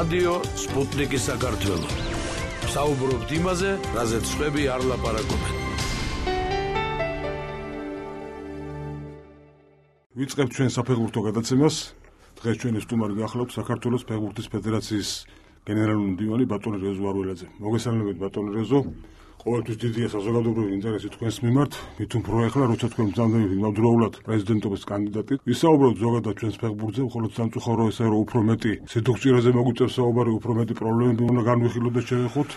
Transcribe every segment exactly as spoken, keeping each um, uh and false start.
რადიო სპუტნიკი საქართველო. საუბრობთ იმაზე, რაზეც სხვები არ ლაპარაკობენ. ვიწყებთ ჩვენ საფეხბურთო გადაცემას. დღეს ჩვენი სტუმარი გახლავთ საქართველოს ფეხბურთის ფედერაციის გენერალური მდივანი ბატონი რეზო არულაძე. მოგესალმებით ბატონი რეზო. ყოველთვის დიდია საზოგადოებრივი ინტერესი თქვენს მიმართ, მით უფრო ახლა როცა თქვენ ბრძანდებით იმავდროულად პრეზიდენტობის კანდიდატი. ვისაუბროთ ზოგადად ჩვენს ფეხბურთზე, მხოლოდ სამწუხარო ესაა, რომ უფრო მეტი სიდუქცირაზე მოგვიწევს საუბარი, უფრო მეტი პრობლემები უნდა განვიხილოთ და შევეხოთ.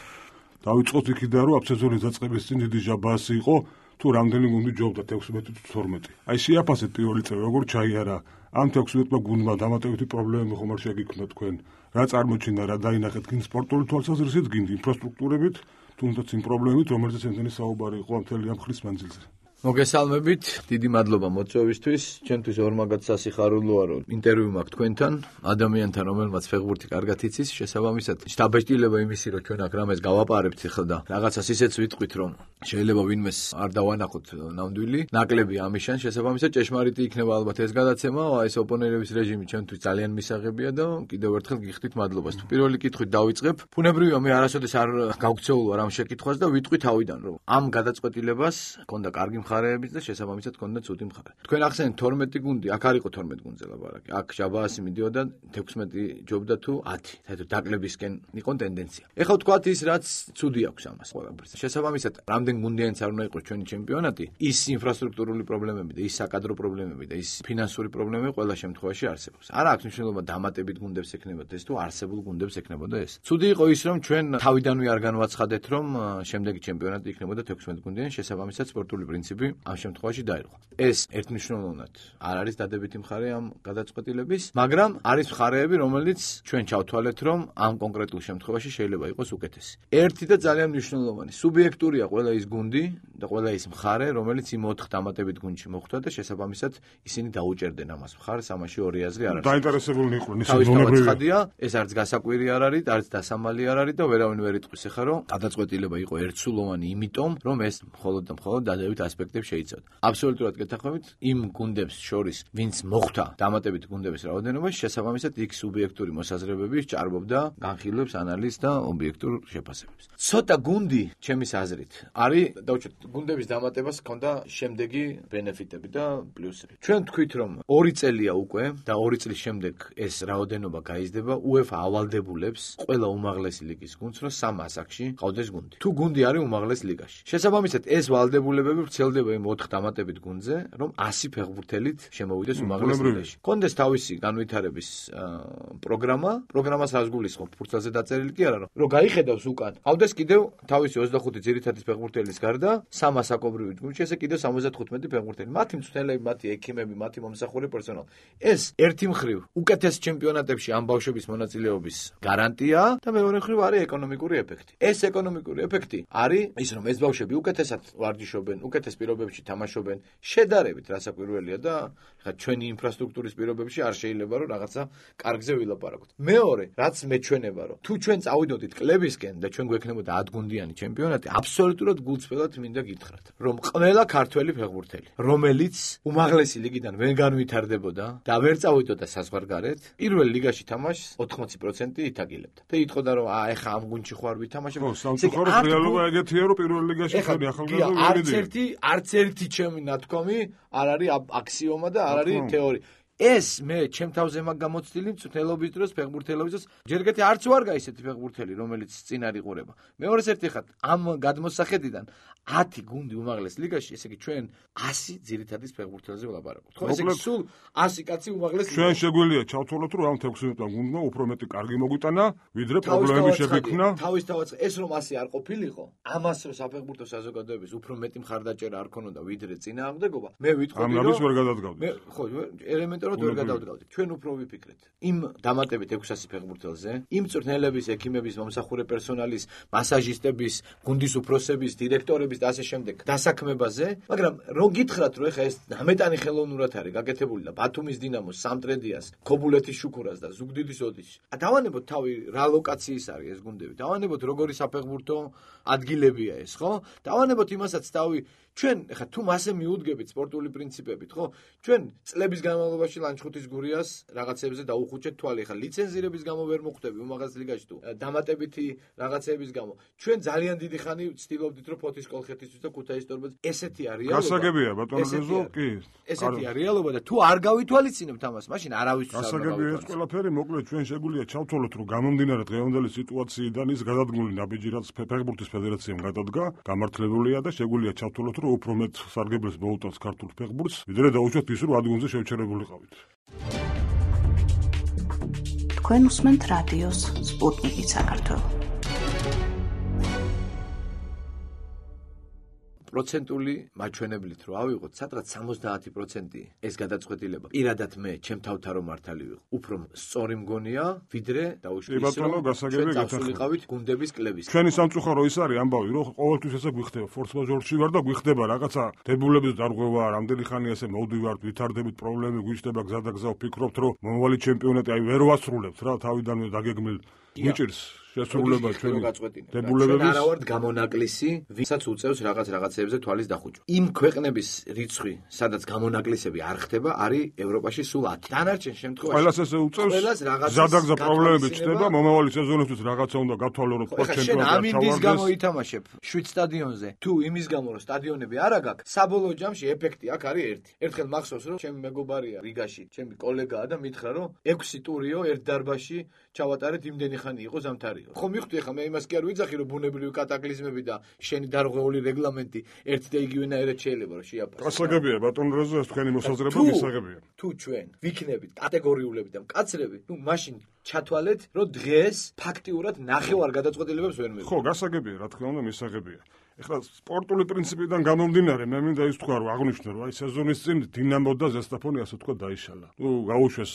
დავიწყოთ იქიდან, რომ ამ სეზონის დაწყების წინ დიდი ჟაბაასი იყო, თუ რამდენი გუნდი ჯობდა თექვსმეტი თუ თორმეტი. აი შეაფასეთ პირველი წელი, როგორ ჩაიარა ამ თექვსმეტმა გუნდმა დამატებითი პრობლემები ხომ არ შეგიქმნა თქვენ? რა წარმოჩინდა, რა დაინახეთ გინ სპორტული თვალსაზრისით, გინ ინფრასტრუქტურებით, თუნდაც იმ პრობლემებით, რომელზეც ემთხვევა საუბარი იყო ამ მთელი ამ ხნის მანძილზე. მოგესალმებით, დიდი მადლობა მოწვევისთვის. ჩემთვის ორმაგად სასიხარულოა, რომ ინტერვიუ მაქვს თქვენთან, ადამიანთან, რომელმაც ფეხბურთი კარგად იცის, შესაბამისად, შთაბეჭდილება იმისი, რომ ჩვენ აქ რამეს გავაპარებთ ახლა და რაღაცას ისეც ვიტყვით, რომ შეიძლება ვინმეს არ დავანახოთ ნამდვილი, ნაკლები ამიშან, შესაბამისად, ჭეშმარიტი იქნება ალბათ ეს გადაცემა, ეს ოპონერების რეჟიმი ჩვენთვის ძალიან მისაღებია და კიდევ ერთხელ გიხდით მადლობას. თუ პირველი კითხვით დავიწყებ, ბუნებრივია მე არასოდეს არ გავქცეულვარ ამ შეკითხვას და ვიტყვი თავიდან, რომ ამ გადაწყვეტილებას ჰქონდა კარგი მხარეებიც და შესაბამისად ჰქონდა ცუდი მხარე. თქვენ ახსენეთ თორმეტი გუნდი, აქ არ იყო თორმეტი გუნდზე ლაპარაკი. აქ ჟაბაასი მიდიოდა თექვსმეტი ჯობდა თუ ათი. საერთოდ დაკლებისკენ იყო ტენდენცია. ეხლა ვთქვათ ის რაც ცუდი აქვს ამას ყველაფერს. შესაბამისად, რამდენ გუნდიანიც არ უნდა იყოს ჩვენი ჩემპიონატი, ის ინფრასტრუქტურული პრობლემები და ის საკადრო პრობლემები და ის ფინანსური პრობლემები ყველა შემთხვევაში არსებობს. არა აქვს მნიშვნელობა დამატებით გუნდებს ექნებოდა ეს თუ არსებულ გუნდებს ექნებოდა ეს. ცუდი იყო ის რომ ჩვენ თავიდანვე არ განვაცხადეთ რომ შემდეგი ჩემპიონატი იქნებოდა თექვსმეტ გუნდიან, შესაბამისად სპორტული პრინციპი ამ შემთხვევაში დაირღვა. ეს ერთმნიშვნელოვნად არ არის დადებითი მხარე ამ გადაწყვეტილების, მაგრამ არის მხარეები, რომელიც ჩვენ ჩავთვალეთ, რომ ამ კონკრეტულ შემთხვევაში შეიძლება იყოს უკეთესი. ერთი და ძალიან მნიშვნელოვანი, სუბიექტურია ყველა ის გუნდი და ყველა ის მხარე, რომელიც იმ ოთხ დამატებით გუნდში მოხვდა და შესაბამისად ისინი დაუჭერდნენ ამას მხარს, ამაში ორი აზრი არ არის. დაინტერესებული იყვნენ ისინი ბუნებრივია. ეს არც გასაკვირი არ არის, არც დასამალი არ არის და ვერავინ ვერ იტყვის ახლა, რომ გადაწყვეტილება იყო ერთსულოვანი, იმიტომ რომ ეს მხოლოდ და მხოლოდ დადებითი ასპექტები შეიძლება. აბსოლუტურად გეთანხმებით, იმ გუნდებს შორის, ვინც მოხვდა დამატებით გუნდების რაოდენობაში, შესაბამისად იქ სუბიექტური მოსაზრებები ჭარბობდა განხილვებს, ანალიზს და ობიექტურ შეფასებებს. ცოტა გუნდი, ჩემის აზრით, არის დავუჩვენთ გუნდების დამატებას ჰქონდა შემდეგი ბენეფიტები და პლუსები. ჩვენ თქვით, რომ ორი წელია უკვე და ორი წლის შემდეგ ეს რაოდენობა გაიზრდება, UEFA ავალდებულებს ყველა უმაღლესი ლიგის გუნდს, რომ სამ ასაკში ყავდეს გუნდი. თუ გუნდი არის უმაღლეს ლიგაში. შესაბამისად, ეს ვალდებულებები ვრცელდება იმ ოთხ დამატებით გუნდზე, რომ ასი ფეხბურთელით შემოვიდეს უმაღლეს ლიგაში. კონდეს თავისი განვითარების პროგრამა, პროგრამას რას გულისხმობ, ფურცელზე დაწერილი კი არა, რომ გაიხედავს უკან. ყავდეს კიდევ თავისი ოცდახუთი ძირითადი ფეხბურთელის გარდა სამ ასაკობრივი გუნდში, ესე კიდევ სამოცდათხუთმეტი ფეხბურთელი. მათი მწვრთნელები, მათი ექიმები, მათი მომსახურე პერსონალი. ეს ერთი მხრივ უკეთეს ჩემპიონატებში ამ ბავშვების მონაწილეობის გარანტია და მეორე მხრივ არის ეკონომიკური ეფექტი. ეს ეკონომიკური ეფექტი არის ის, რომ ეს ბავშვები უკეთესად ვარჯიშობენ, უკეთეს პირობებში თამაშობენ, შედარებით რასაკვირველია და ხა ჩვენი ინფრასტრუქტურის პირობებში არ შეიძლება რომ რაღაცა კარგზე ვილაპარაკოთ. მეორე, რაც მეჩვენება, რომ თუ ჩვენ წავიდოდით კლებისკენ და ჩვენ გვექნებოდა ათგუნდიანი ჩემპიონატი, აბსოლუტურად გულწრფელად მინდა გითხრათ, რომ ყველა ქართველი ფეხბურთელი, რომელიც უმაღლესი ლიგიდან ვერ განვითარდებოდა და ვერ წავიდოდა საზღვარგარეთ, პირველ ლიგაში თამაშს ოთხმოცი პროცენტი ითაგილებდა. და იტყოდა რომ აა ეხა ამ გუნდში ხوار ვითამაშებ. ხო, სამწუხაროდ რეალობა ეგეთია, რომ პირველ ლიგაში ხარ ახალგაზრდა არც ერთი არც ერთი ჩემი ნათქვამი არ არის აქსიომა და არ არის თეორია. ეს მე ჩემ თავზე მაგ გამოცდილი მწვრთნელობის დროს, ფეხბურთელობის დროს, ჯერ კიდევ არც ვარ გაისეთი ფეხბურთელი, რომელიც წინ არ იყურება. მეორეს ერთი ხარ ამ გადმოსახედიდან ათი გუნდი უმაღლეს ლიგაში, ესე იგი ჩვენ ასი ძირითადის ფეხბურთელზე ვლაპარაკობთ. ხო, ესე იგი სულ ასი კაცი უმაღლეს ლიგაში. ჩვენ შეგვიძლია ჩავთვალოთ, რომ ამ თექვსმეტმა გუნდმა უფრო მეტი კარგი მოგვიტანა, ვიდრე პრობლემები შეგვექმნა. თავის თავად ეს რომ ასე არ ყოფილიყო, ამას რომ საფეხბურთო საზოგადოების უფრო მეტი მხარდაჭერა არ ქონოდა, ვიდრე წინააღმდეგობა, მე ვიტყოდი რომ ამას ვერ გადადგავდით. მე ხო, ელემენტარულად ვერ გადავდგავდით. ჩვენ უფრო ვიფიქრეთ. იმ დამატებით ექვსასი ფეხბურთელზე, იმ მწვრთნელების, ექიმების, მომსახურე პერსონალის, მასაჟისტების, გუნდის უფროსების, დირექტორების და ასე შემდეგ დასაქმებაზე, მაგრამ რომ გითხრათ, რომ ეხა ეს ნამეტანი ხელოვნურად არის გაკეთებული და ბათუმის დინამოს, სამტრედიას, ქობულეთის შუქურას და ზუგდიდის ოდიშს. დავანებოთ თავი რა ლოკაციის არის ეს გუნდები. დავანებოთ როგორი საფეხბურთო ადგილებია ეს, ხო? დავანებოთ იმასაც თავი ჩვენ ეხა თუ მასე მიუდგებით სპორტული პრინციპებით, ხო? ჩვენ წლების განმავლობაში ევროპაში ლანჩხუთის გურიას რაღაცებზე დაუხუჭეთ თვალი. ხა ლიცენზირების გამო ვერ მოხვდები უმაღლეს ლიგაში თუ დამატებითი რაღაცების გამო. ჩვენ ძალიან დიდი ხანი ვცდილობდით რომ ფოთის კოლხეთისთვის და ქუთაისის ტორპედს ესეთი არის რეალობა. გასაგებია ბატონო რეზო, კი. ესეთი არის რეალობა და თუ არ გავითვალისწინებთ ამას, მაშინ არავის არ გასაგებია ეს ყველაფერი, მოკლედ ჩვენ შეგვიძლია ჩავთვალოთ რომ გამომდინარე დღევანდელი სიტუაციიდან ის გადადგმული ნაბიჯი რაც ფეხბურთის ფედერაციამ გადადგა, გამართლებულია და შეგვიძლია ჩავთვალოთ რომ უფრო მეტ სარგებელს მოუტანს ქართულ ფეხბურთს, ვიდრე დაუშვათ ის რომ ადგილზე შევჩერებულიყავით. თქვენ უსმენთ რადიოს სპუტნიკი საქართველო. პროცენტული მაჩვენებლით რო ავიღოთ, სადღაც სამოცდაათი პროცენტი ეს გადაწყვეტილება. პირადად მე ჩემ თავთან რომ მართალი ვიყო. უფრო სწორი მგონია, ვიდრე დაუშვით ის რომ ჩვენ წავსულიყავით გუნდების კლების. ჩვენი სამწუხარო ის არის ამბავი, რომ ყოველთვის ესე გვიხდება, ფორს მაჟორში ვარ და გვიხდება რაღაცა დებულების დარღვევა, რამდენი ხანი ესე მოვდივართ, ვითარდებით პრობლემები, გვიჩნდება გზა და გზა, ვფიქრობთ, რომ მომავალი ჩემპიონატი აი ვერ ვასრულებთ რა, თავიდანვე დაგეგმილ მიჭირს შესრულება ჩვენი დებულებების. ჩვენ არა ვართ გამონაკლისი, ვისაც უწევს რაღაც რაღაცეებზე თვალის დახუჭვა. იმ ქვეყნების რიცხვი, სადაც გამონაკლისები არ ხდება, არის ევროპაში სულ ათი. დანარჩენ შემთხვევაში ყველას ესე უწევს, ზადაგზა პრობლემები ჩნდება, მომავალი სეზონისთვის რაღაცა უნდა გავთვალოთ, ხო ჩემპიონატი შენ ამინდის გამო ითამაშებ შვიდ სტადიონზე, თუ იმის გამო რომ სტადიონები არ აქვს, საბოლოო ჯამში ეფექტი აქ არის ერთი. ერთხელ მახსოვს რომ ჩემი მეგობარია რიგაში, ჩემი კოლეგაა და მითხრა რომ ექვსი ტურიო ერთ დარბაზში ჩავატარეთ, იმდენი ხანი იყო ზამთარი. ხო მივხვდი ხა მე იმას კი არ ვიძახი რომ ბუნებრივი კატაკლიზმები და შენი დარღვეული რეგლამენტი ერთი და იგივენაირად შეიძლება რომ შეაფასო. გასაგებია ბატონ რეზო ეს თქვენი მოსაზრება მისაღებია. თუ ჩვენ ვიქნებით კატეგორიულები და მკაცრები, ნუ მაშინ ჩათვალეთ რომ დღეს ფაქტიურად ნახევარ გადაწყვეტილებებს ვერ მივიღებთ. ხო გასაგებია რა თქმა უნდა მისაღებია. ეხლა სპორტული პრინციპიდან გამომდინარე მე მინდა ის თქვა რომ აღნიშნო რომ აი სეზონის წინ დინამო და ზესტაფონი ასე თქვა დაიშალა. ნუ გაუშვეს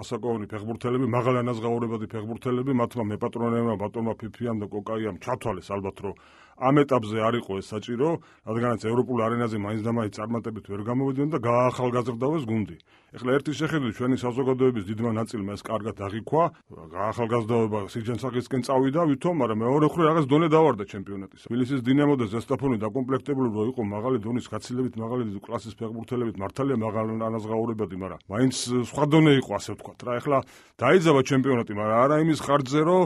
ასაკოვანი ფეხბურთელები, მაღალი ანაზღაურებადი ფეხბურთელები, მათმა მეპატრონებმა, ბატონმა ფიფიამ და კოკაიამ ჩათვალეს ალბათ რომ ამ ეტაპზე არ იყო ეს საჭირო, რადგანაც ევროპულ არენაზე მაინც და მაინც წარმატებით ვერ გამოვიდნენ და გაახალგაზრდავეს გუნდი. ეხლა ერთი შეხედვით ჩვენი საზოგადოების დიდმა ნაწილმა ეს კარგად აღიქვა, გაახალგაზრდაობა სიჯანსაღისკენ წავიდა ვითომ, მაგრამ მეორე მხრივ რაღაც დონე დავარდა ჩემპიონატის. თბილისის დინამო და ზესტაფონი დაკომპლექტებული რო იყო მაღალი დონის გაცილებით მაღალი კლასის ფეხბურთელებით, მართალია მაღალი ანაზღაურებადი, მაგრამ მაინც სხვა დონე იყო ასე ვთქვათ რა. ეხლა დაიძაბა ჩემპიონატი, მაგრამ არა იმის ხარჯზე რომ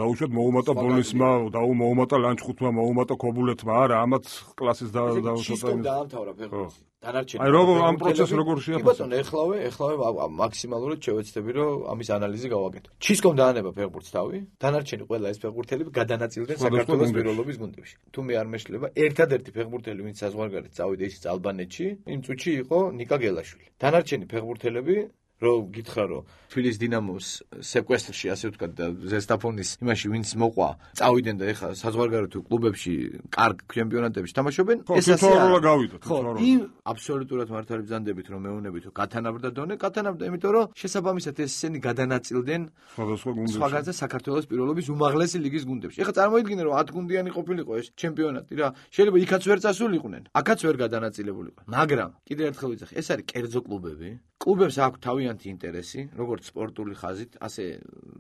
დაუშვათ მოუმატა ბოლნისმა, დაუმოუმატა ლანჩხუთმა, მოუმატა ქობულეთმა, არა ამათ კლასის და შისტომ დაამთავრა ფეხბურთი. დანარჩენი. აი როგორ ამ პროცესს როგორ შეაფასე? კი ბატონო, ეხლავე, ეხლავე მაქსიმალურად შევეცდები რომ ამის ანალიზი გავაკეთო. ჩისკომ დაანება ფეხბურთს თავი, დანარჩენი ყველა ეს ფეხბურთელები გადანაწილდნენ საქართველოს პირველობის გუნდებში. თუ მე არ მეშლება, ერთადერთი ფეხბურთელი, ვინც საზღვარგარეთ წავიდა ისიც ალბანეთში, იმ წუთში იყო ნიკა გელაშვილი. დანარჩენი ფეხბურთელები რომ გითხრა რომ თბილისის დინამოს სეკვესტრში ასე ვთქვათ და ზესტაფონის იმაში ვინც მოყვა წავიდნენ და ეხლა საზღვარგარეთ კლუბებში კარგ ჩემპიონატებში თამაშობენ ეს ასე არა გავიდოთ ხო იმ აბსოლუტურად მართალი ბრძანდებით რომ მეუნებით რომ გათანაბრდა დონე გათანაბრდა იმიტომ რომ შესაბამისად ესენი გადანაწილდნენ სხვადასხვა გუნდებში სხვაგანზე საქართველოს პირველობის უმაღლესი ლიგის გუნდებში ეხლა წარმოიდგინე რომ ათ გუნდიანი ყოფილიყო ეს ჩემპიონატი რა შეიძლება იქაც ვერ წასულიყვნენ აქაც ვერ გადანაწილებულიყო მაგრამ კიდევ ერთხელ ვიძახი ეს არის კერძო კლუბები კლუბებს აქვს თავიანთი ინტერესი, როგორც სპორტული ხაზით, ასე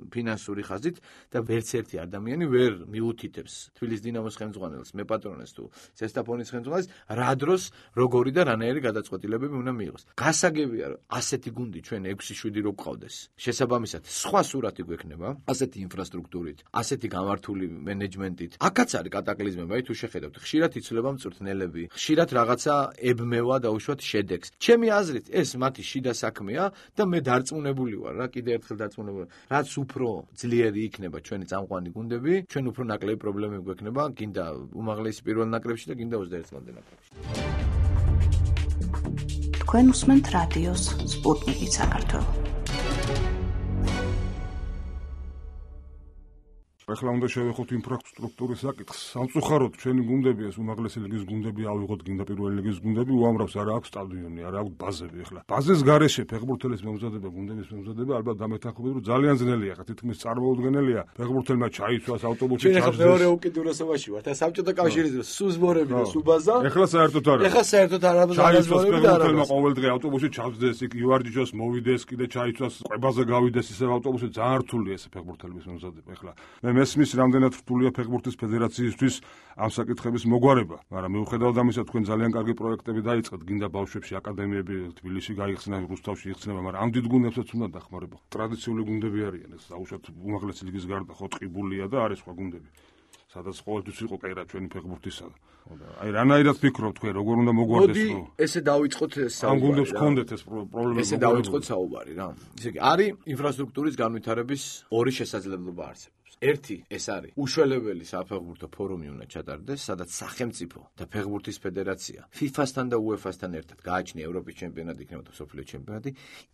ფინანსური ხაზით და ვერც ერთი ადამიანი ვერ მიუთითებს თბილისის დინამოს ხელმძღვანელს, მეპატრონეს თუ ზესტაფონის ხელმძღვანელს, რა დროს როგორი და რანაირი გადაწყვეტილებები უნდა მიიღოს. გასაგებია, რომ ასეთი გუნდი ჩვენ ექვსი შვიდი რო გყავდეს. შესაბამისად, სხვა სურათი გვექნება, ასეთი ინფრასტრუქტურით, ასეთი გამართული მენეჯმენტით. აქაც არის კატაკლიზმები, აი თუ შეხედავთ, ხშირად იცვლება მწვრთნელები, ხშირად რაღაცა ებმევა და უშუალოდ შედეგს. ჩემი აზრით, ეს მათი შიდა საქმეა და მე დარწმუნებული ვარ რა კიდე ერთხელ დარწმუნებული რაც უფრო ძლიერი იქნება ჩვენი წამყვანი გუნდები ჩვენ უფრო ნაკლები პრობლემები გვექნება გინდა უმაღლესი პირველ ნაკრებში და გინდა ოცდაერთამდე ნაკრებში თქვენ უსმენთ რადიოს სპუტნიკი საქართველო ეხლა უნდა შევეხოთ ინფრასტრუქტურის საკითხს. სამწუხაროდ ჩვენი გუნდები ეს უმაღლესი ლიგის გუნდები ავიღოთ გინდა პირველი ლიგის გუნდები უამრავს არა აქვს სტადიონი, არა აქვს ბაზები ეხლა. ბაზის გარეშე ფეხბურთელის მომზადება, გუნდების მომზადება ალბათ დამეთანხმებით რომ ძალიან ძნელია, ხა თითქმის წარმოუდგენელია. ფეხბურთელმა ჩაიცვას ავტობუსი ჩაჯდეს. ჩვენ მეორე უკიდურესობაში ვართ. ეს საბჭოთა კავშირის დროს სუზბორები და სუბაზა. ეხლა საერთოდ არა. ეხლა საერთოდ არა ბაზარები და არა. ყოველდღე ავტობუსი ჩაჯდეს, იქ ივარჯიშოს, მოვიდეს, კიდე ჩაიცვას, ყვებაზე გავიდეს ისე ავტობუსი ძალიან რთულია ეს ფეხბურთელების მომზადება ეხლა. მე მესმის რამდენად რთულია ფეხბურთის ფედერაციისთვის ამ საკითხების მოგვარება, მაგრამ მიუხედავად ამისა თქვენ ძალიან კარგი პროექტები დაიწყეთ, გინდა ბავშვებში აკადემიები თბილისში გაიხსნა, რუსთავში იხსნება, მაგრამ ამ დიდ გუნდებსაც უნდა დახმარება. ტრადიციული გუნდები არიან ეს, დაუშვათ უმაღლესი ლიგის გარდა ხო ტყიბულია და არის სხვა გუნდები. სადაც ყოველთვის იყო კაირა ჩვენი ფეხბურთისა. აი რანაირად ფიქრობ თქვენ როგორ უნდა მოგვარდეს რო? მოდი ესე დავიწყოთ საუბარი. ამ გუნდებს გქონდეთ ეს პრობლემა. ესე დავიწყოთ საუბარი რა. ისე იგი არის ინფრასტრუქტურის განვითარების ორი შესაძლებლობა არსებობს. ერთი ეს არის უშველებელი საფეხბურთო ფორუმი უნდა ჩატარდეს, სადაც სახელმწიფო და ფეხბურთის ფედერაცია ფიფასთან და უეფასთან ერთად გააჩნია ევროპის ჩემპიონატი, იქნება და მსოფლიო ჩემპიონატი,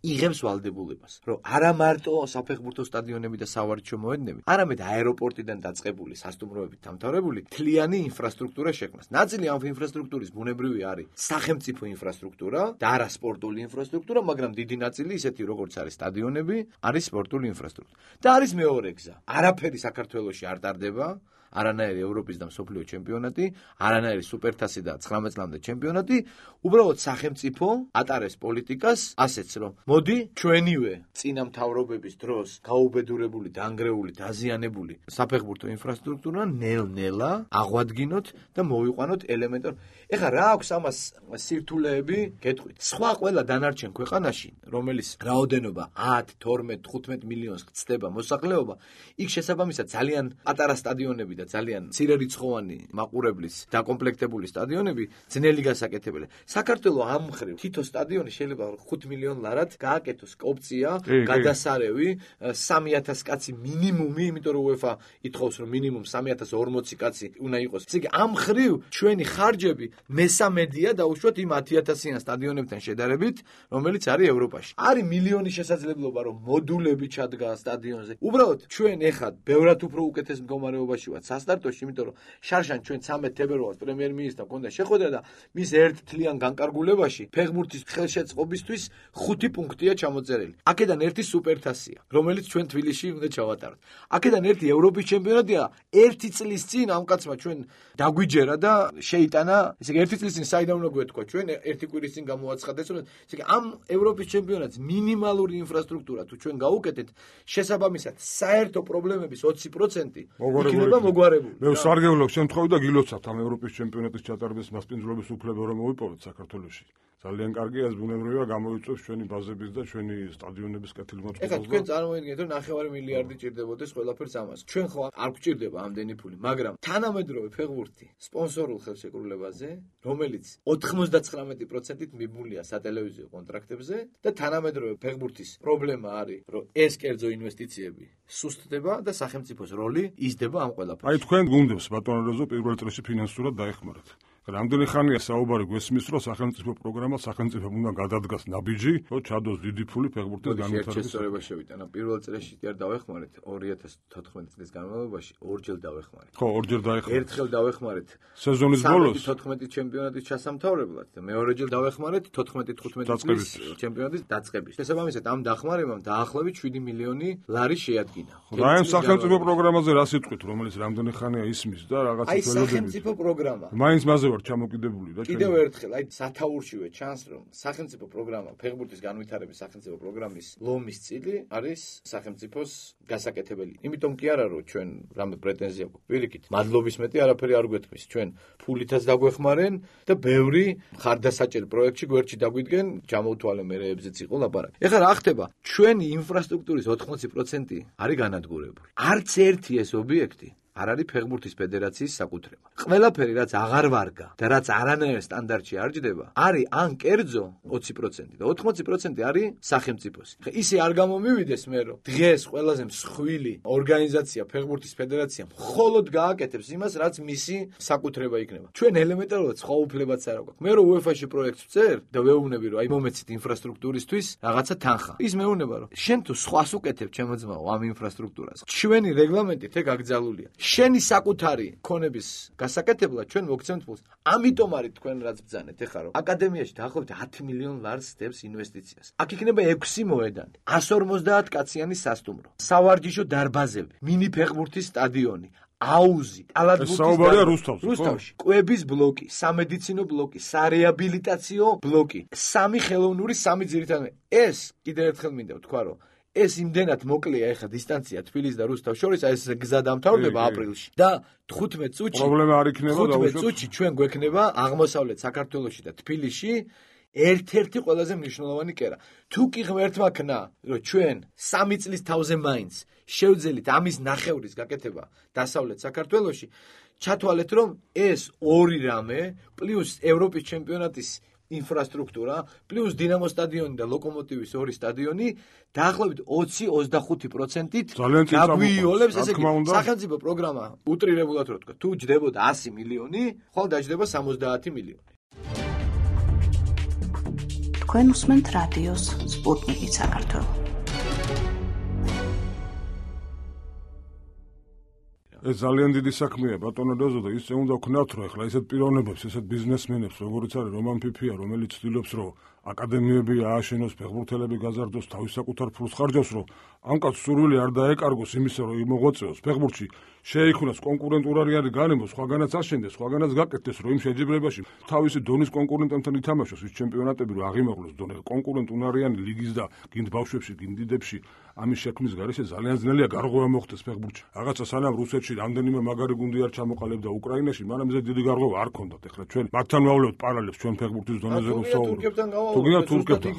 იღებს ვალდებულებას, რომ არა მარტო საფეხბურთო სტადიონები და სავარჯიშო მოედნები, არამედ აეროპორტიდან დაწყებული სასტუმროებით დამთავრებული მთლიანი ინფრასტრუქტურა შექმნას. ნაწილი ამ ინფრასტრუქტურის ბუნებრივი არის სახელმწიფო ინფრასტრუქტურა და არა სპორტული ინფრასტრუქტურა, მაგრამ დიდი ნაწილი ისეთი როგორც არის სტადიონები, არის სპორტული ინფრასტრუქტურა. და არის მეორე გზა. არაფერი საქართველოში არ ტარდება, არანაირი ევროპის და მსოფლიო ჩემპიონატი, არანაირი სუპერთასი და ცხრამეტ წლამდე ჩემპიონატი, უბრალოდ სახელმწიფო ატარებს პოლიტიკას ასეც, რომ მოდი ჩვენივე წინამთავრობების დროს გაუბედურებული, დანგრეული, დაზიანებული საფეხბურთო ინფრასტრუქტურა ნელ-ნელა აღვადგინოთ და მოვიყვანოთ ელემენტარ. ეხლა რა აქვს ამას სირთულეები? გეტყვით. სხვა ყველა დანარჩენ ქვეყანაში, რომელიც რაოდენობა ათი, თორმეტი, თხუთმეტ მილიონს გწდება მოსახლეობა, იქ შესაბამისად ძალიან პატარა სტადიონები და ძალიან მცირერიცხოვანი მაყურებლის დაკომპლექტებული სტადიონები ძნელი გასაკეთებელია. საქართველოს ამ მხრივ თითო სტადიონი შეიძლება ხუთ მილიონ ლარად გააკეთოს ოპცია, გადასარევი, სამი ათასი კაცი მინიმუმი, იმიტომ რომ UEFA ითხოვს რომ მინიმუმ სამი ათას ორმოცი კაცი უნდა იყოს. ესე იგი ამ მხრივ ჩვენი ხარჯები მესამედია დაუშვათ იმ ათი ათასიან სტადიონებთან შედარებით, რომელიც არის ევროპაში. არის მილიონი შესაძლებლობა რომ მოდულები ჩადგა სტადიონზე. უბრალოდ ჩვენ ეხლა ბევრად უფრო უკეთეს მდგომარეობაში ვართ სასტარტოში, იმიტომ რომ შარშან ჩვენ ცამეტ თებერვალს პრემიერ-მინისტრმა ჰქონდა შეხვედრა და მის ერთ თლიან განკარგულებაში ფეხბურთის ხელშეწყობისთვის ხუთი პუნქტია ჩამოწერილი. აქედან ერთი სუპერთასია, რომელიც ჩვენ თბილისში უნდა ჩავატაროთ. აქედან ერთი ევროპის ჩემპიონატია, ერთი წლის წინ ამ კაცმა ჩვენ დაგვიჯერა და შეიტანა, ესე იგი ერთი წლის წინ საიდან უნდა გვეთქვა ჩვენ ერთი კვირის წინ გამოაცხადეს, რომ ესე იგი ამ ევროპის ჩემპიონატს მინიმალური ინფრასტრუქტურა თუ ჩვენ გავუკეთეთ, შესაბამისად საერთო პრობლემების ოცი პროცენტი იქნება მოგვარებული. მე ვსარგებლობ შემთხვევით და გილოცავთ ამ ევროპის ჩემპიონატის ჩატარების მასპინძლობის უფლება რომ მოვიპოვოთ საქართველოში. ძალიან კარგი ეს ბუნებრივია გამოიწვევს ჩვენი ბაზების და ჩვენი სტადიონების კეთილმოწყობას. ეხლა თქვენ წარმოიდგინეთ რომ ნახევარი მილიარდი ჭირდებოდეს ყველაფერს ამას. ჩვენ ხო არ გვჭირდება ამდენი ფული, მაგრამ თანამედროვე ფეხბურთი სპონსორულ ხელშეკრულებაზე, რომელიც ოთხმოცდაცხრამეტი პროცენტით მიბმულია სატელევიზიო კონტრაქტებზე და თანამედროვე ფეხბურთის პრობლემა არის, რომ ეს კერძო ინვესტიციები სუსტდება და სახელმწიფოს როლი იზრდება ამ ყველაფერში. აი თქვენ გუნდებს ბატონო რეზო პირველ წრეში ფინანსურად დაეხმარათ. რამდენი ხანია საუბარი გვესმის, რომ სახელმწიფო პროგრამა სახელმწიფომ უნდა გადადგას ნაბიჯი, რომ ჩადოს დიდი ფული ფეხბურთის განვითარების. შესწორება შევიტანა. პირველ წრეში კი არ დავეხმარეთ, ორი ათას თოთხმეტი წლის განმავლობაში ორჯერ დავეხმარეთ. ხო, ორჯერ დაეხმარეთ. ერთხელ დავეხმარეთ სეზონის ბოლოს თოთხმეტი ჩემპიონატის ჩასამთავრებლად და მეორეჯერ დავეხმარეთ თოთხმეტი თხუთმეტი წლის ჩემპიონატის დაწყების. შესაბამისად ამ დახმარებამ დაახლოებით შვიდი მილიონი ლარი შეადგინა. და ამ სახელმწიფო პროგრამაზე რა სიტყვით, რომელიც რამდენი ხანია ისმის და რაღაც აი სახელმწიფო პროგრამა. მაინც მასზე ვარ ჩამოკიდებული და კიდევ ერთხელ აი სათაურშივე ჩანს რომ სახელმწიფო პროგრამა ფეხბურთის განვითარების სახელმწიფო პროგრამის ლომის წილი არის სახელმწიფოს გასაკეთებელი. იმიტომ კი არა რომ ჩვენ რამე პრეტენზია გვაქვს. პირიქით, მადლობის მეტი არაფერი არ გვეთქმის. ჩვენ ფულითაც დაგვეხმარენ და ბევრი ხარდასაჭერ პროექტში გვერდში დაგვიდგენ, ჩამოვთვალე მერეებზეც იყო ლაპარაკი. ეხლა რა ხდება? ჩვენი ინფრასტრუქტურის ოთხმოცი პროცენტი არის განადგურებული. არც ერთი ეს ობიექტი არ არის ფეხბურთის ფედერაციის საკუთრება. ყველაფერი რაც აღარ ვარგა და რაც არანაირ სტანდარტში არ ჯდება, არის ან კერძო ოცი პროცენტი და ოთხმოცი პროცენტი არის სახელმწიფოსი. ისე არ გამომივიდეს მე რომ დღეს ყველაზე მსხვილი ორგანიზაცია ფეხბურთის ფედერაცია მხოლოდ გააკეთებს იმას, რაც მისი საკუთრება იქნება. ჩვენ ელემენტარულად სხვა უფლებაც არ აქვს. მე რომ UEFA-ში პროექტს ვწერ და ვეუბნები რომ აი მომეცით ინფრასტრუქტურისთვის რაღაცა თანხა. ის მეუბნება რომ შენ თუ სხვას უკეთებ ჩემო ძმაო ამ ინფრასტრუქტურას. ჩვენი რეგლამენტით ეგ აკრძალულია. შენი საკუთარი ქონების გასაკეთებლად ჩვენ მოგცემთ ფულს. ამიტომ არის თქვენ რაც ბძანეთ ეხლა რომ აკადემიაში დაახლოებით ათი მილიონ ლარს დებს ინვესტიციას. აქ იქნება ექვსი მოედანი, εκατს ორმოცდაათ კაციანი სასტუმრო, სავარჯიშო დარბაზები, მინი ფეხბურთის სტადიონი, აუზი, საუბარია რუსთავში. რუსთავში კვების ბლოკი, სამედიცინო ბლოკი, სარეაბილიტაციო ბლოკი, სამი ხელოვნური, სამი ძირითადი. ეს კიდევ ერთხელ მინდა ვთქვა რომ ეს იმდენად მოკლეა ეხა დისტანცია თბილისს და რუსთავს შორის, აი ეს გზა დამთავრდება აპრილში და თხუთმეტ წუთში პრობლემა არ იქნება და თხუთმეტ წუთში ჩვენ გვექნება აღმოსავლეთ საქართველოში და თბილისში ერთ-ერთი ყველაზე მნიშვნელოვანი კერა. თუ კი ღმერთმა ქნა, რომ ჩვენ სამი წლის თავზე მაინც შევძელით ამის ნახევრის გაკეთება დასავლეთ საქართველოში, ჩათვალეთ, რომ ეს ორი რამე პლუს ევროპის ჩემპიონატის ინფრასტრუქტურა, პლუს დინამო სტადიონი და ლოკომოტივის ორი სტადიონი დაახლოებით ოცი ოცდახუთი პროცენტით გაგვიოლებს, ესე იგი, სახელმწიფო პროგრამა უტრირებულად რო თქვა, თუ ჯდებოდა ასი მილიონი, ხოლმე დაჯდება სამოცდაათი მილიონი. თქვენ უსმენთ რადიოს სპუტნიკი საქართველო. ეს ძალიან დიდი საქმეა ბატონო დოზო და ისე უნდა ვქნათ რომ ახლა ესეთ პიროვნებებს, ესეთ ბიზნესმენებს, როგორიც არის რომან ფიფია, რომელიც ცდილობს რომ აკადემიები ააშენოს, ფეხბურთელები გაზარდოს, თავის საკუთარ ფულს ხარჯავს, რომ ამ კაცს სურვილი არ დაეკარგოს იმისა, რომ იმოღვაწეოს ფეხბურთში, შეიქმნას კონკურენტულარიანი განემო, სხვაგანაც აშენდეს, სხვაგანაც გაკეთდეს, რომ იმ შეჯიბრებაში თავისი დონის კონკურენტებთან ითამაშოს, ის ჩემპიონატები რომ აღიმაღლოს დონე, კონკურენტულარიანი ლიგის და გინდ ბავშვებში, გინდ დიდებში, ამის შექმნის გარეშე ძალიან ძნელია გარღვევა მოხდეს ფეხბურთში. რაღაცა სანამ რუსეთში რამდენიმე მაგარი გუნდი არ ჩამოყალიბდა უკრაინაში, მაგრამ ეს დიდი გარღვევა არ ქონდათ. ეხლა ჩვენ მაგთან ვავლევთ პარალელს ჩვენ ფეხბურთის დონეზე რომ ვსაუბრობთ. თუ გინდა თურქებთან.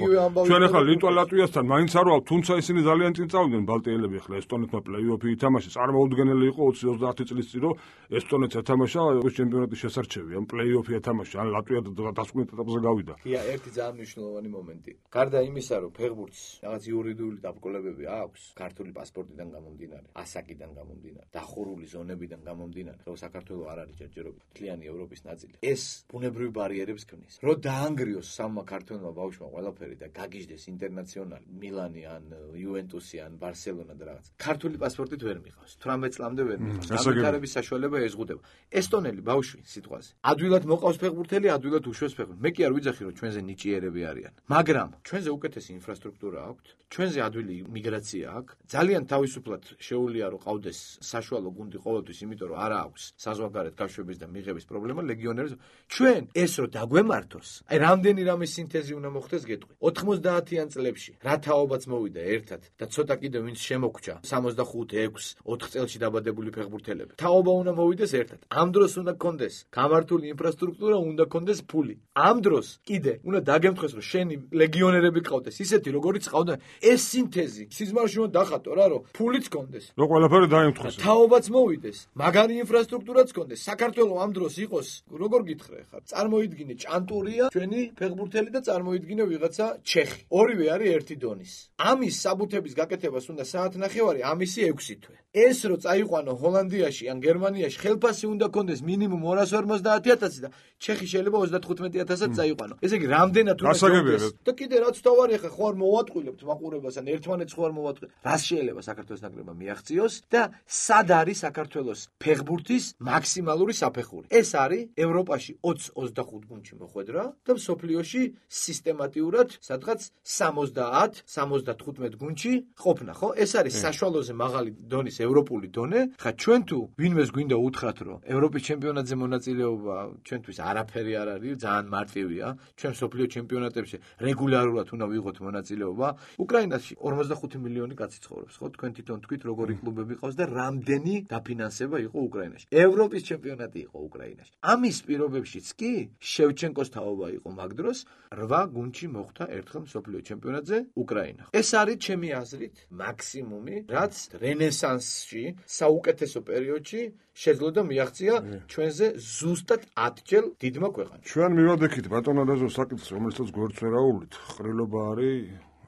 ჩვენ ახლა ლიტვა ლატვიასთან მაინც არ ვავალ, თუმცა ისინი ძალიან წინ წავიდნენ ბალტიელები, ახლა ესტონეთმა პლეი-ოფი ითამაშეს, წარმოუდგენელი იყო ოცი ოცდაათი წლის წინ, რომ ესტონეთს ეთამაშა ევროპის ჩემპიონატის შესარჩევი, ან პლეი-ოფი ეთამაშა, ან ლატვია დასკვნით ეტაპზე გავიდა. კი, ერთი ძალიან მნიშვნელოვანი მომენტი. გარდა იმისა, რომ ფეხბურთს რაღაც იურიდიული დაბრკოლებები აქვს, ქართული პასპორტიდან გამომდინარე, ასაკიდან გამომდინარე, დახურული ზონებიდან გამომდინარე, რომ საქართველოს არ არის ჯერჯერობით მთლიანი ევროპის ნაწილი. ეს ბუნებრივი ბარიერებს ქმნის. რომ დაანგრიოს სამმა ქართველმა ბავშვმა ყველაფერი და გაგიჟდეს ინტერნაციონალი, მილანი ან იუვენტუსი ან ბარსელონა და რაღაც. ქართული პასპორტით ვერ მიყავს. თვრამეტ წლამდე ვერ მიყავს. განვითარების საშუალება ეზღუდება. ესტონელი ბავშვი სიტყვაზე. ადვილად მოყავს ფეხბურთელი, ადვილად უშვებს ფეხბურთს. მე კი არ ვიძახი, რომ ჩვენზე ნიჭიერები არიან. მაგრამ ჩვენზე უკეთესი ინფრასტრუქტურა აქვს, ჩვენზე ადვილი მიგრაცია აქვს. ძალიან თავისუფლად შეუძლია რომ ყავდეს საშუალო გუნდი ყოველთვის, იმიტომ რომ არა აქვს საზღვარგარეთ გაშვების და მიღების პრობლემა ლეგიონერებს. ჩვენ ეს რომ დაგვემართოს, აი რამდენი რამის სინთეზი უნდა მოხდეს გეტყვი. ოთხმოცდაათიან წლებში რა თაობაც მოვიდა ერთად და ცოტა კიდევ ვინც შემოგჭა სამოცდახუთი, ექვსი, ოთხ წელში დაბადებული ფეხბურთელები. თაობა უნდა მოვიდეს ერთად. ამ დროს უნდა გქონდეს გამართული ინფრასტრუქტურა, უნდა გქონდეს ფული. ამ დროს კიდე უნდა დაგემთხეს რომ შენი ლეგიონერები ყავდეს, ისეთი როგორიც ყავდა. ეს სინთეზი სიზმარში უნდა დახატო რა, რომ ფულიც გქონდეს. რო ყველაფერი დაემთხეს. თაობაც მოვიდეს, მაგარი ინფრასტრუქტურაც გქონდეს. საქართველოს ამ დროს იყოს, როგორ გითხრა ხარ? წარმოიდგინე ჭანტურია ჩვენი ფეხბურთელი და წარმოიდგინე ვიღაცა ჩეხი. ორივე არის ერთი დონის. ამის საბუთების გაკეთებას უნდა საათნახევარი, ამისი ექვსი თვე. ეს რო წაიყვანო ჰოლანდიაში ან გერმანიაში, ხელფასი უნდა გქონდეს მინიმუმ ორასი ორმოცდაათი ათასი და ჩეხი შეიძლება ოცდათხუთმეტი ათასად წაიყვანო. ესე იგი რამდენად უნდა გქონდეს? და კიდე რაც თავარი ხა ხო არ მოვატყვილებთ მაყურებას ან ერთმანეთს ხო არ მოვატყვილებთ. რას შეიძლება საქართველოს ნაკრებმა მიაღწიოს და სად არის საქართველოს ფეხბურთის მაქსიმალური საფეხური? ეს არის ევროპაში ოცი ოცდახუთ გუნდში მოხვედრა და მსოფლიოში სისტემატიურად სადღაც სამოცდაათ სამოცდათხუთმეტ გუნდში ყოფნა, ხო? ეს არის საშუალოზე მაღალი დონის ევროპული დონე. ხა ჩვენ თუ ვინმეს გვინდა უთხრათ, რომ ევროპის ჩემპიონატზე მონაწილეობა ჩვენთვის არაფერი არ არის, ძალიან მარტივია. ჩვენ მსოფლიო ჩემპიონატებში რეგულარულად უნდა ვიღოთ მონაწილეობა. უკრაინაში ორმოცდახუთი მილიონი კაცი ცხოვრობს, ხო? თქვენ თვითონ თქვით როგორი კლუბები ყავს და რამდენი დაფინანსება იყო უკრაინაში. ევროპის ჩემპიონატი იყო უკრაინაში. ამის პირობებშიც კი შევჩენკოს თაობა იყო მაგ დროს, რვა გუნდში მოხვდა ერთხელ მსოფლიო ჩემპიონატზე უკრაინა. ეს არის ჩემი აზრით მაქსიმუმი, რაც რენესანსში, საუკეთესო პერიოდში შეძლო და მიაღწია ჩვენზე ზუსტად ათჯერ დიდმა ქვეყანამ. ჩვენ მივადექით ბატონო დაზო საკითხს, რომელსაც გვერდს ვერ აუვლით. ხრილობა არის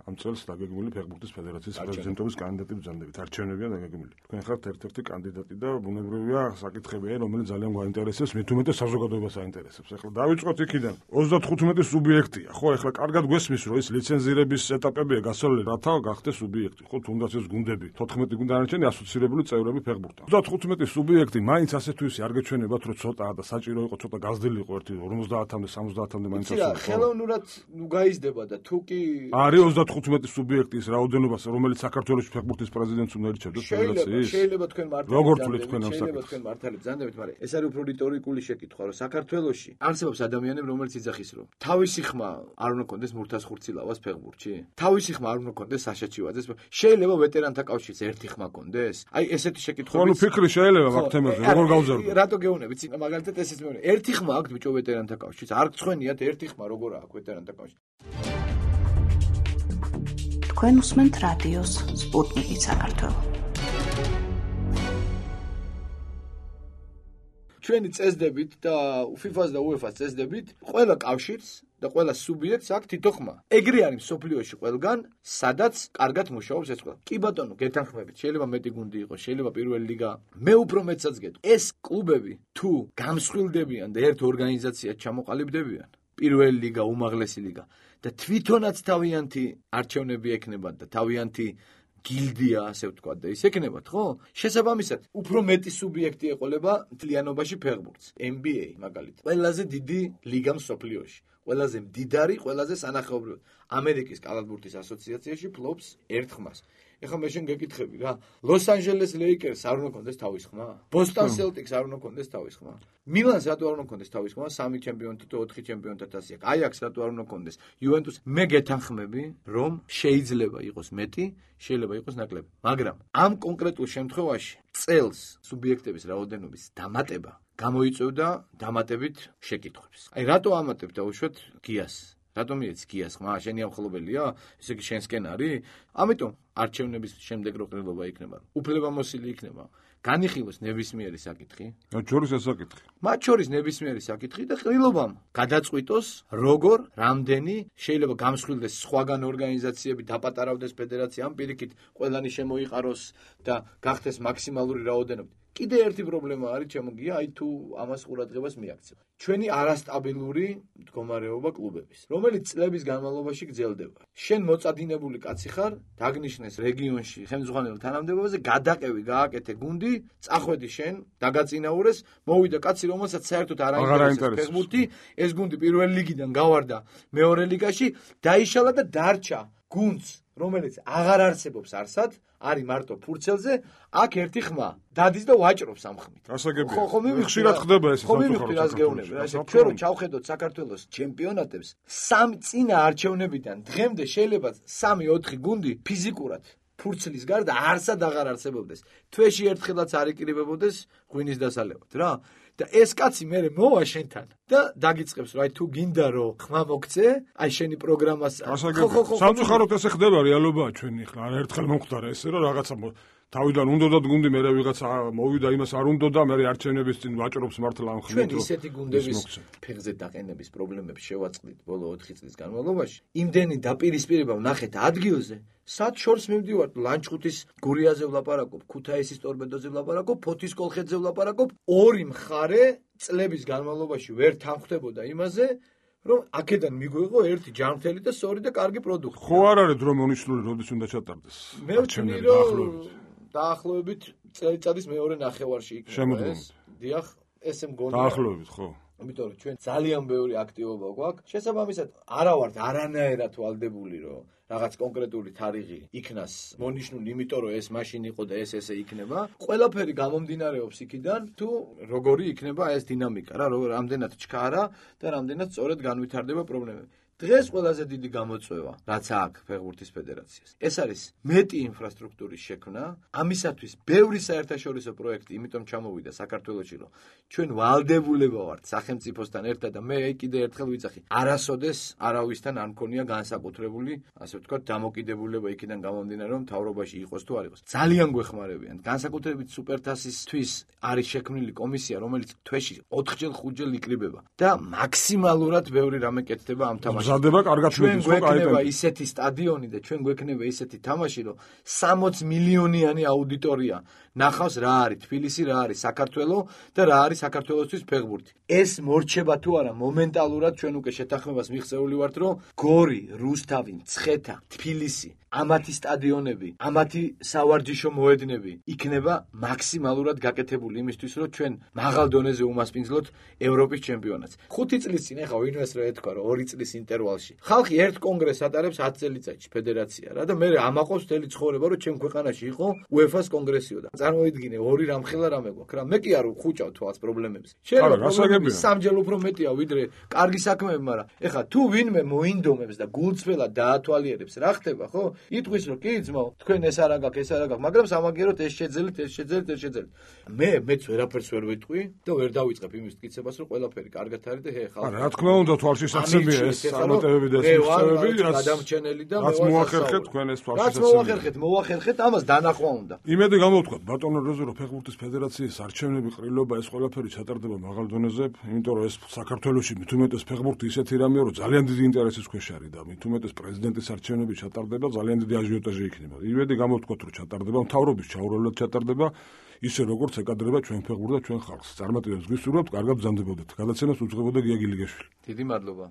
ამ წელს დაგეგმილი ფეხბურთის ფედერაციის პრეზიდენტობის კანდიდატი ბრძანდებით. არჩევნებია დაგეგმილი. თქვენ ხართ ერთ-ერთი კანდიდატი და ბუნებრივია საკითხებია, რომელიც ძალიან გვაინტერესებს, მით უმეტეს საზოგადოებას აინტერესებს. ახლა დავიწყოთ იქიდან. ოცდათხუთმეტი სუბიექტია, ხო? ახლა კარგად გვესმის, რომ ეს ლიცენზირების ეტაპებია გასავლელი, რათა გახდეს სუბიექტი, ხო? თუნდაც ეს გუნდები, თოთხმეტი გუნდი არჩენი ასოცირებული წევრები ფეხბურთთან. ოცდათხუთმეტი სუბიექტი მაინც ასე თუ ისე არ გეჩვენებათ, რომ ცოტაა და საჭირო იყო, ცოტა გაზრდილი იყო ერთი ორმოცდაათამდე, სამოცდაათამდე მაინც ასული. ხელოვნურად ნუ გაიზრდება და თუ კი არის ოცდათხუთმეტი თხუთმეტი სუბიექტის რაოდენობას, რომელიც საქართველოს ფეხბურთის პრეზიდენტს უნდა ირჩევდეს ფედერაციის? შეიძლება თქვენ მართალი როგორ თვლით თქვენ ამ შეიძლება საკითხს? თქვენ მართალი ბრძანდებით, მაგრამ ეს არის უფრო რიტორიკული შეკითხვა, რომ საქართველოში არსებობს ადამიანები, რომელიც იძახის, რომ თავისი ხმა არ უნდა კონდეს მურთას ხურცილავას ფეხბურთში? თავისი ხმა არ უნდა კონდეს საშა ჩივაძეს? შეიძლება ვეტერანთა კავშირს ერთი ხმა კონდეს? აი ესეთი შეკითხვები. ხო, ნუ ფიქრი შეიძლება მაგ თემაზე, როგორ გავზარდო? რატო გეუბნები? წინა მაგალითად ესეც მეუბნები. ერთი ხმა აქვს ბიჭო ვეტერანთა კავშირს. არ გწვენიათ ერთი ხმა როგორ აქვს ვეტერანთა კავშირს. თქვენ უსმენთ რადიოს სპუტნიკი საქართველო. ჩვენი წესდებით და FIFA-ს და UEFA-ს წესდებით ყველა კავშირს და ყველა სუბიექტს აქვს თითო ხმა. ეგრე არის მსოფლიოში ყველგან, სადაც კარგად მუშაობს ეს ყველა. კი ბატონო, გეთანხმებით, შეიძლება მეტი გუნდი იყოს, შეიძლება პირველი ლიგა. მე უფრო მეტსაც გეტყვი. ეს კლუბები თუ გამსხვილდებიან და ერთ ორგანიზაციად ჩამოყალიბდებიან, პირველი ლიგა, უმაღლესი ლიგა და თვითონაც თავიანთი არჩევნები ექნებათ და თავიანთი გილდია, ასე ვთქვათ, და ის ექნებათ, ხო? შესაბამისად, უფრო მეტი სუბიექტი ეყოლება მთლიანობაში ფეხბურთს. N B A მაგალითად. ყველაზე დიდი ლიგა მსოფლიოში. ყველაზე მდიდარი, ყველაზე სანახაობრივი. ამერიკის კალათბურთის ასოციაციაში ფლობს ერთ ხმას. ეხლა მე შენ გეკითხები რა, ლოს-ანჯელეს ლეიკერს არ უნდა კონდეს თავის ხმა? ბოსტონ სელტიკს არ უნდა კონდეს თავის ხმა? მილანს რატო არ უნდა კონდეს თავის ხმა? სამი ჩემპიონთა და ოთხი ჩემპიონთა თასი აქვს. აიაქსს რატო არ უნდა კონდეს? იუვენტუს მე გეთანხმები, რომ შეიძლება იყოს მეტი, შეიძლება იყოს ნაკლები. მაგრამ ამ კონკრეტულ შემთხვევაში წელს სუბიექტების რაოდენობის დამატება გამოიწვევდა დამატებით შეკითხვებს. აი რატო ამატებ დაუშვათ გიას? რატომ მიეც გიას ხმა? შენი ამხელობელია? ესე იგი შენსკენ არის? ამიტომ არჩევნების შემდეგ რო ყრილობა იქნება, უფლებამოსილი იქნება, განიხილოს ნებისმიერი საკითხი. მათ შორის ეს საკითხი. მათ შორის ნებისმიერი საკითხი და ყრილობამ გადაწყვიტოს, როგორ, რამდენი შეიძლება გამსხვილდეს სხვაგან ორგანიზაციები, დაპატარავდეს ფედერაცია, ამ პირიქით ყველანი შემოიყაროს და გახდეს მაქსიმალური რაოდენობა. კიდე ერთი პრობლემა არის ჩემოგია, აი თუ ამას ყურადღებას მიაქცევ. ჩვენი არასტაბილური მდგომარეობა კლუბების, რომელიც წლების განმავლობაში გრძელდება. შენ მოწადინებული კაცი ხარ, დაგნიშნეს რეგიონში ხელმძღვანელ თანამდებობაზე, გადაყევი, გააკეთე გუნდი, წახვედი შენ, დაგაწინაურეს, მოვიდა კაცი, რომელსაც საერთოდ არ აინტერესებს ფეხბურთი, ეს გუნდი პირველი ლიგიდან გავარდა მეორე ლიგაში, დაიშალა და დარჩა გუნდს, რომელიც აღარ არსებობს არსად, არის მარტო ფურცელზე, აქ ერთი ხმა დადის და ვაჭრობს ამ ხმით. გასაგებია. ხო, მე ხშირად ხდება ეს სამწუხაროდ რას გეუბნები, რა ესე ჩვენ რო ჩავხედოთ საქართველოს ჩემპიონატებს, სამი წინა არჩევნებიდან დღემდე შეიძლება სამი ოთხი გუნდი ფიზიკურად ფურცლის გარდა არსად აღარ არსებობდეს. თვეში ერთხელაც არ იკრიბებოდეს ღვინის დასალევად, რა. და ეს კაცი მე მოვა შენთან და დაგიწყებს რომ აი თუ გინდა რომ ხმა მოგცე, აი შენი პროგრამას ხო ხო ხო სამწუხაროდ ესე ხდება რეალობაა ჩვენი ხლა არ ერთხელ მომხდარა ესე რომ რაღაცა თავიდან უნდათ გუნდი მე რაღაცა მოვიდა იმას არ უნდოდა მე არჩევნების წინ ვაჭრობს მართლა ამ ხმით ჩვენ ისეთი გუნდების ფეხზე დაყენების პრობლემებს შევაწყდით ბოლო ოთხი წლის განმავლობაში იმდენი დაპირისპირება ვნახეთ ადგილზე სად შორს მივდივართ ლანჩხუთის გურიაზე ვლაპარაკობ ქუთაისის ტორპედოზე ვლაპარაკობ ფოთის კოლხეთზე ვლაპარაკობ ორი მხარე წლების განმავლობაში ვერ თანხმდებოდა იმაზე რომ აქედან მიგვიღო ერთი ჯანმრთელი და სწორი და კარგი პროდუქტი ხო არ არის რომ მონიშნული როდის უნდა ჩატარდეს მე ვთვლი რომ დაახლოებით წელიწადის მეორე ნახევარში იქნება ეს დიახ ესე მგონია დაახლოებით ხო იმიტომ რომ ჩვენ ძალიან ბევრი აქტივობა გვაქვს შესაბამისად არა ვართ არანაირად ვალდებული რომ რაღაც კონკრეტული თარიღი იქნას მონიშნული იმიტომ რომ ეს მაშინ იყო და ეს ესე იქნება ყველაფერი გამომდინარეობს იქიდან თუ როგორი იქნება ეს დინამიკა რა რამდენად ჩქარა და რამდენად სწორად განვითარდება პრობლემები დღეს ყველაზე დიდი გამოწვევა რაც აქვს ფეხბურთის ფედერაციას ეს არის მეტი ინფრასტრუქტურის შექმნა ამისათვის ბევრი საერთაშორისო პროექტი იმიტომ ჩამოვიდა საქართველოში რომ ჩვენ ვალდებულება ვართ სახელმწიფოსთან ერთად და მე კიდე ერთხელ ვიძახი არასოდეს არავისთან არ მქონია განსაკუთრებული ასე ვთქვათ დამოკიდებულება იქიდან გამომდინარე რომ მთავრობაში იყოს თუ არ იყოს ძალიან გვეხმარებიან განსაკუთრებით სუპერთასისთვის არის შექმნილი კომისია რომელიც თვეში ოთხჯერ ხუთჯერ იკრიბება და მაქსიმალურად ბევრი რამე კეთდება ამ თამაშში ზადება კარგად ჩვენ გვექნება ისეთი სტადიონი და ჩვენ გვექნება ისეთი თამაში რომ სამოცი მილიონიანი აუდიტორია ნახავს რა არის თბილისი რა არის საქართველო და რა არის საქართველოსთვის ფეხბურთი ეს მორჩება თუ არა მომენტალურად ჩვენ უკვე შეთანხმებას მიღწეული ვართ რომ გორი რუსთავი მცხეთა თბილისი ამათი სტადიონები, ამათი სავარჯიშო მოედნები იქნება მაქსიმალურად გაკეთებული იმისთვის, რომ ჩვენ მაღალ დონეზე უმასპინძლოთ ევროპის ჩემპიონატს. ხუთი წლის წინ ახლა ვინმეს რა ეთქვა, რომ ორი წლის ინტერვალში. ხალხი ერთ კონგრესს ატარებს ათი წელიწადში ფედერაცია რა და მე ამაყობს მთელი ცხოვრება, რომ ჩემ ქვეყანაში იყო უეფას კონგრესიო და წარმოიდგინე ორი რამხელა რამე გვაქვს რა. მე კი არ ვხუჭავ თვალს პრობლემებს. შეიძლება სამჯერ უფრო მეტია ვიდრე კარგი საქმეები, მაგრამ ეხლა თუ ვინმე მოინდომებს და გულწრფელად დაათვალიერებს, რა ხდება, ხო? იტყვის რომ კი ძმაო, თქვენ ეს არ აგაქვს, ეს არ აგაქვს, მაგრამ სამაგეროთ ეს შეძელით, ეს შეძელით, ეს შეძელით. მე მეც ვერაფერს ვერ ვიტყვი და ვერ დავიწყებ იმის მტკიცებას, რომ ყველაფერი კარგად არის და ჰე ხალხი. რა თქმა უნდა, თვალში საცემია ეს წარმატებები და ეს მიღწევები, რაც გადამჩენელი და რაც მოახერხეთ თქვენ ეს თვალში საცემია. რაც მოახერხეთ, მოახერხეთ, ამას დანახვა უნდა. იმედი გამოვთქვათ ბატონო რეზო, რომ ფეხბურთის ფედერაციის არჩევნები, ყრილობა ეს ყველაფერი ჩატარდება მაღალ დონეზე, იმიტომ რომ ეს საქართველოში მით უმეტეს ფეხბურთი ისეთი რამეა, რომ ძალიან დიდი ინტერესის ქვეშ არის და მით უმეტეს პრეზიდენტის არჩევნები ჩატარდება, ძალიან დიდი აჟიოტაჟი იქნება. იმედი გამოვთქვათ, რომ ჩატარდება, მთავრობის ჩაურევლად ჩატარდება, ისე როგორც ეკადრება ჩვენ ფეხბურთს და ჩვენ ხალხს. წარმატებებს გვისურვებთ, კარგად ბრძანდებოდეთ. გადაცემას უძღვებოდა გია გილიგაშვილი. დიდი მადლობა.